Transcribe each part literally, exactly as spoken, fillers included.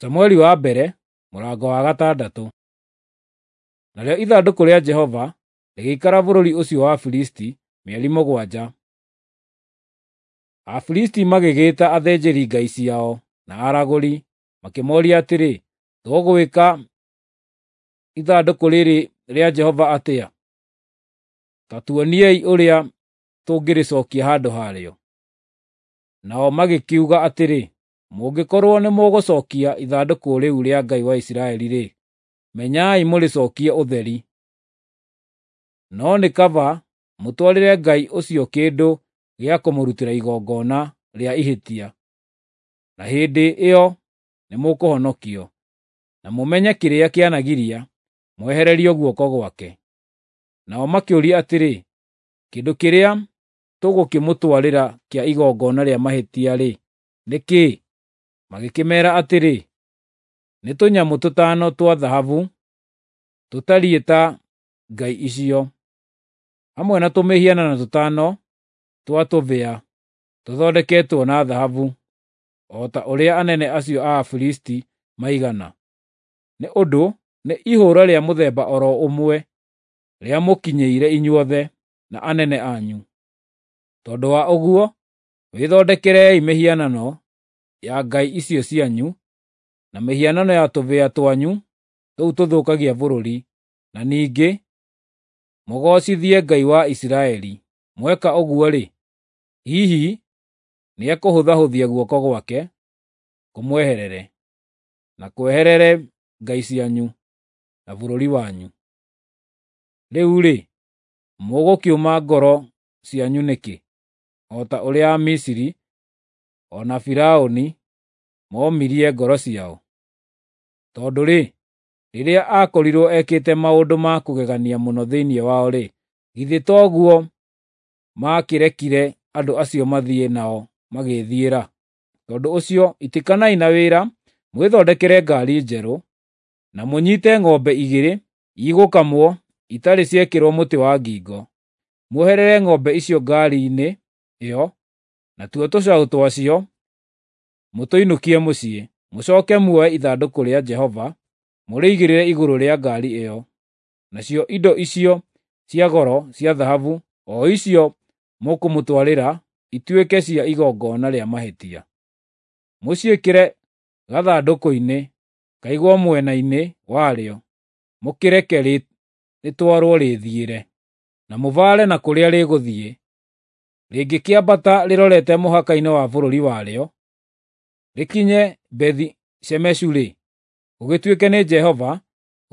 Samueli wa mbere mũrango wa gatandatũ. Narĩo ithandũkũ rĩa Jehova rĩgĩikara bũrũri ũcio wa Afilisti mĩeri mũgwanja. Afilisti magĩgĩĩta athĩnjĩri-ngai ciao na aragũri, makĩmooria atĩrĩ, “Tũgwĩka ithandũkũ rĩrĩ rĩa Jehova atĩa? Ta tuoniei ũrĩa tũngĩrĩcookia handũ harĩo.” Nao magĩkiuga atĩrĩ, “Mũngĩkorwo nĩmũgũcookia ithandũkũ rĩu rĩa Ngai wa Isiraeli-rĩ, menyai mũrĩcookie ũtheri. No nĩ kaba mũtwarĩre Ngai ũcio kĩndũ gĩa kũmũrutĩra igongona rĩa ihĩtia, na hĩndĩ ĩyo nĩmũkũhonokio, na mũmenye kĩrĩa kĩanagiria mwehererio guoko gwake.” Nao makĩũria atĩrĩ, “Kĩndũ kĩrĩa tũgũkĩmũtwarĩra kĩa igongona rĩa mahĩtia-rĩ, nĩ kĩĩ?” Magĩkĩmeera atĩrĩ, “Nĩ tũnyamũ tũtano twa thahabu tũtariĩ ta ngai icio, hamwe na tũmĩhianano tũtano twa tũbĩa tũthondeketwo na thahabu, o ta ũrĩa anene acio a Afilisti maigana. Nĩ ũndũ nĩ ihũũra rĩa mũthemba o ro ũmwe rĩamũkinyĩire inyuothe na anene anyu. Tondũ wa ũguo, wĩthondekerei mĩhianano ya ngai icio cianyu na mĩhianano ya tũbĩa twanyu tũu tũthũkagia bũrũri, na ningĩ mũgoocithie Ngai wa Isiraeli. Mweka ũguo-rĩ, hihi nĩekũhũthahũthia guoko gwake kũmweherere, na kweherere ngai cianyu, na bũrũri wanyu. Rĩu-rĩ, mũgũkĩũma ngoro cianyu nĩkĩ, o ta ũrĩa Amisiri o na Firaũni moomirie ngoro ciao? Tondũ-rĩ, rĩrĩa aakorirwo ekĩte maũndũ ma kũgegania mũno thĩinĩ wao-rĩ, githĩ toguo maakĩrekire andũ acio mathiĩ nao magĩĩthiĩra? Tondũ ũcio itĩkanai na wĩra mwĩthondekere ngaari njerũ, na mũnyiite ng'ombe igĩrĩ igũkamwo itarĩ ciekĩrwo mũtĩ wa ngingo. Muoherere ng'ombe icio ngaari-inĩ ĩyo, natuo tũcaũ twacio mũtũinũkie mũciĩ. Mũcooke muoe ithandũkũ rĩa Jehova mũrĩigĩrĩre igũrũ rĩa ngaari ĩyo. Nacio indo icio cia goro cia thahabu, o icio mũkũmũtwarĩra ituĩke cia igongona rĩa mahĩtia. Mũciĩkĩre gathandũkũ-inĩ kaigwo mwena-inĩ warĩo, mũkĩreke rĩtwarwo rĩĩthiĩre. Na mũbaare na kũrĩa rĩgũthiĩ. Rĩngĩkĩambata rĩrorete mũhaka-inĩ wa bũrũri warĩo, rĩkinye Bethi-Shemeshu-rĩ, gũgĩtuĩke nĩ Jehova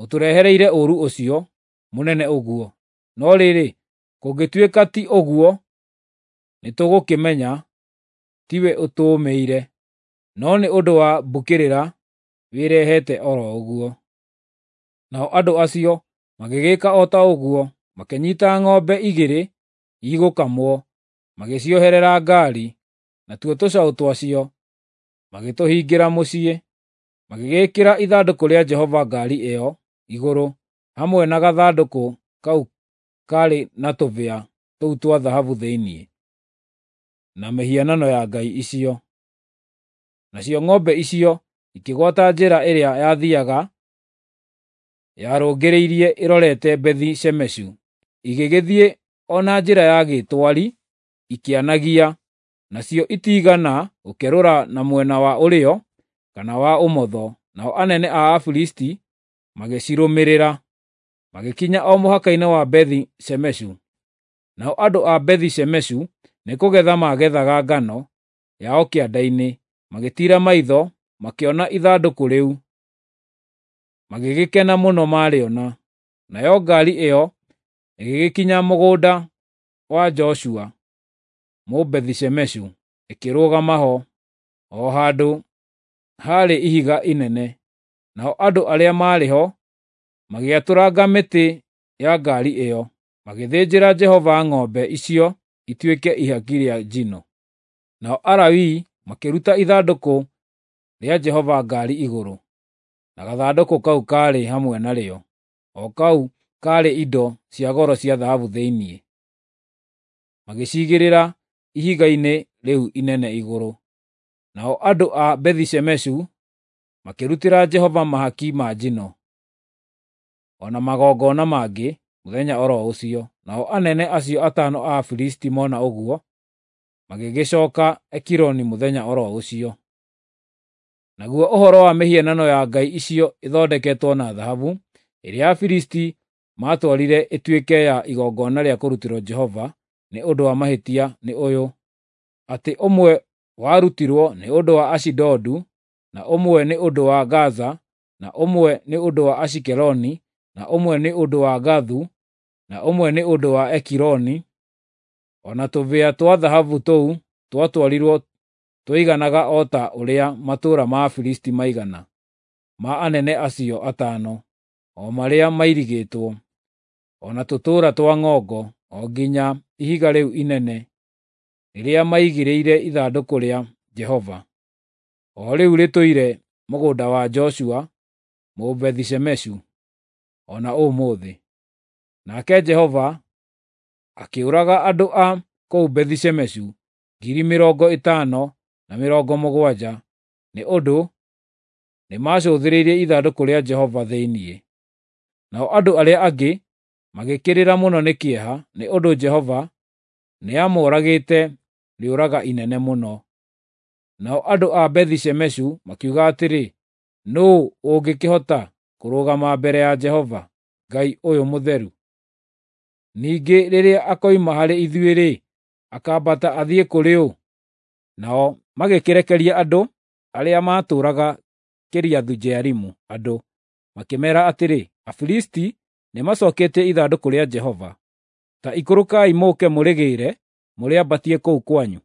ũtũrehereire ũũru ũcio mũnene ũguo. No rĩrĩ, kũngĩtuĩka ti ũguo, nĩtũgũkĩmenya tiwe ũtũũmĩire, no nĩ ũndũ wa mbũkĩrĩra wĩrehete o ro ũguo.” Nao andũ acio magĩgĩka o ta ũguo, makĩnyiita ng'ombe igĩrĩ igũkamwo, magĩcioherera ngaari, natuo tũcaũ twacio magĩtũhingĩra mũciĩ. Magĩgĩĩkĩra ithandũkũ rĩa Jehova ngaari ĩyo igũrũ, hamwe na gathandũkũ kau kaarĩ na tũbĩa tũu twa thahabu thĩinĩ, na mĩhianano ya ngai icio. Nacio ng'ombe icio ikĩgwata njĩra ĩrĩa yathiiaga yarũngĩrĩirie ĩrorete Bethi-Shemeshu, igĩgĩthiĩ o na njĩra ya gĩtwari ikĩanagia, nacio itiigana gũkerũra na mwena wa ũrĩo kana wa ũmotho. Nao anene a Afilisti magĩcirũmĩrĩra, magĩkinya o mũhaka-inĩ wa Bethi-Shemeshu. Nao andũ a Bethi-Shemeshu nĩkũgetha maagethaga ngano yao kĩanda-inĩ, magĩtiira maitho makĩona ithandũkũ rĩu, magĩgĩkena mũno maarĩona. Nayo ngaari ĩyo ĩgĩgĩkinya mũgũnda wa Joshua Mũbethi-Shemeshu, ĩkĩrũgama ho, o handũ haarĩ ihiga inene. Nao andũ arĩa maarĩ ho magĩatũranga mĩtĩ ya ngaari ĩyo, magĩthĩnjĩra Jehova ng'ombe icio ituĩke ihaki rĩa njino. Nao Alawii makĩruta ithandũkũ rĩa Jehova ngaari igũrũ, na gathandũkũ kau kaarĩ hamwe narĩo, o kau kaarĩ indo cia goro cia thahabu thĩinĩ, magĩciigĩrĩra ihiga-inĩ rĩu inene igũrũ. Nao andũ a Bethi-Shemeshu Makĩrutĩra Jehova mahaki ma njino, o na magongona mangĩ mũthenya o ro ũcio. Nao anene acio atano a Afilisti mona ũguo, magĩgĩcooka Ekironi mũthenya o ro ũcio. Naguo ũhoro wa mĩhianano ya ngai icio ĩthondeketwo na thahabu, ĩrĩa Afilisti maatwarire ĩtuĩke ya igongona rĩa kũrutĩrwo Jehova nĩ ũndũ wa mahĩtia nĩ ũyũ, atĩ ũmwe warutirwo nĩ ũndũ wa Ashidodu, na ũmwe nĩ ũndũ wa Gaza, na ũmwe nĩ ũndũ wa Ashikeloni, na ũmwe nĩ ũndũ wa Gathu, na ũmwe nĩ ũndũ wa Ekironi. O na tũbĩa twa thahabu tũu twatwarirwo twaiganaga o ta ũrĩa matũũra ma Afilisti maigana, ma anene acio atano, o marĩa mairigĩtwo, o na tũtũũra twa ng'ongo, o nginya ihiga rĩu inene rĩrĩa maigĩrĩire ithandũkũ rĩa Jehova, o rĩu rĩtũire mũgũnda wa Joshua Mũbethi-Shemeshu, o na ũmũthĩ. Nake Jehova akĩũraga andũ a kũu Bethi-Shemeshu ngiri mĩrongo ĩtano na mĩrongo mũgwanja nĩ ũndũ nĩmacũthĩrĩirie ithandũkũ rĩa Jehova thĩinĩ. Nao andũ arĩa angĩ magĩkĩrĩra mũno nĩ kĩeha nĩ ũndũ Jehova nĩamoragĩte rĩũraga inene mũno. Nao andũ a Bethi-Shemeshu makiuga atĩrĩ, “Nũũ ũngĩkĩhota kũrũgama mbere ya Jehova, Ngai ũyũ mũtheru? Ningĩ rĩrĩa akoima harĩ ithuĩ-rĩ, akaambata athiĩ kũrĩ ũ?” Nao magĩkĩrekeria andũ arĩa maatũũraga Kiriathu-Jearimu andũ, makĩmeera atĩrĩ, “Afilisti nĩmacooketie ithandũkũ rĩa Jehova. Ta ikũrũkai mũũke mũrĩgĩĩre mũrĩambatie kũu kwanyu.”